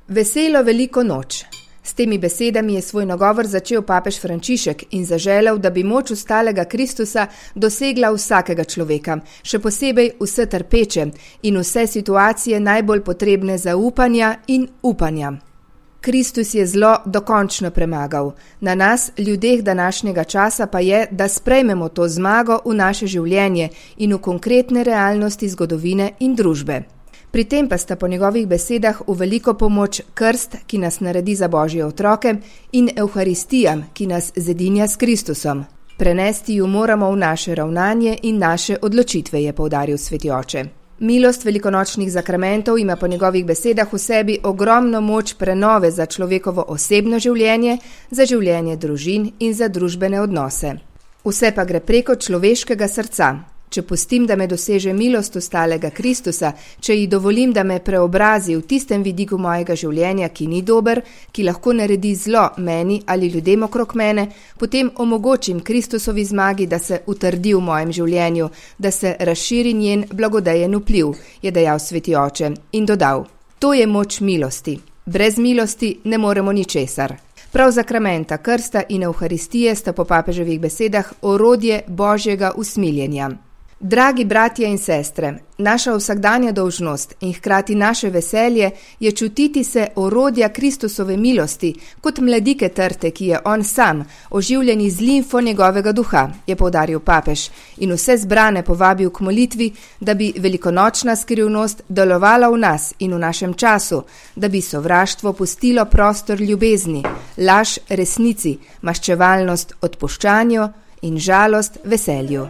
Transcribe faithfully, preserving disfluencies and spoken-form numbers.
Veselo veliko noč. S temi besedami je svoj nagovor začel papež Frančišek in zaželel, da bi moč ustalega Kristusa dosegla vsakega človeka, še posebej vse trpeče in vse situacije najbolj potrebne zaupanja in upanja. Kristus je zlo dokončno premagal. Na nas, ljudeh današnjega časa, pa je, da sprejmemo to zmago v naše življenje in v konkretne realnosti zgodovine in družbe. Pri tem pa sta po njegovih besedah v veliko pomoč krst, ki nas naredi za Božje otroke, in Evharistija, ki nas zedinja s Kristusom. Prenesti ju moramo v naše ravnanje in naše odločitve, je poudaril sveti oče. Milost velikonočnih zakramentov ima po njegovih besedah v sebi ogromno moč prenove za človekovo osebno življenje, za življenje družin in za družbene odnose. Vse pa gre preko človeškega srca. Če pustim, da me doseže milost ustalega Kristusa, če ji dovolim, da me preobrazi v tistem vidiku mojega življenja, ki ni dober, ki lahko naredi zlo meni ali ljudem okrog mene, potem omogočim Kristusovi zmagi, da se utrdi v mojem življenju, da se razširi njen blagodejen vpliv, je dejal sveti oče in dodal: to je moč milosti. Brez milosti ne moremo ničesar. Prav zakramenta, krsta in Evharistije sta po papeževih besedah orodje Božjega usmiljenja. Dragi bratje in sestre, naša vsakdanja dolžnost in hkrati naše veselje je čutiti se orodja Kristusove milosti, kot mladike trte, ki je on sam, oživljeni z limfo njegovega duha, je poudaril papež in vse zbrane povabil k molitvi, da bi velikonočna skrivnost delovala v nas in v našem času, da bi sovraštvo pustilo prostor ljubezni, laž resnici, maščevalnost odpuščanju in žalost veselju.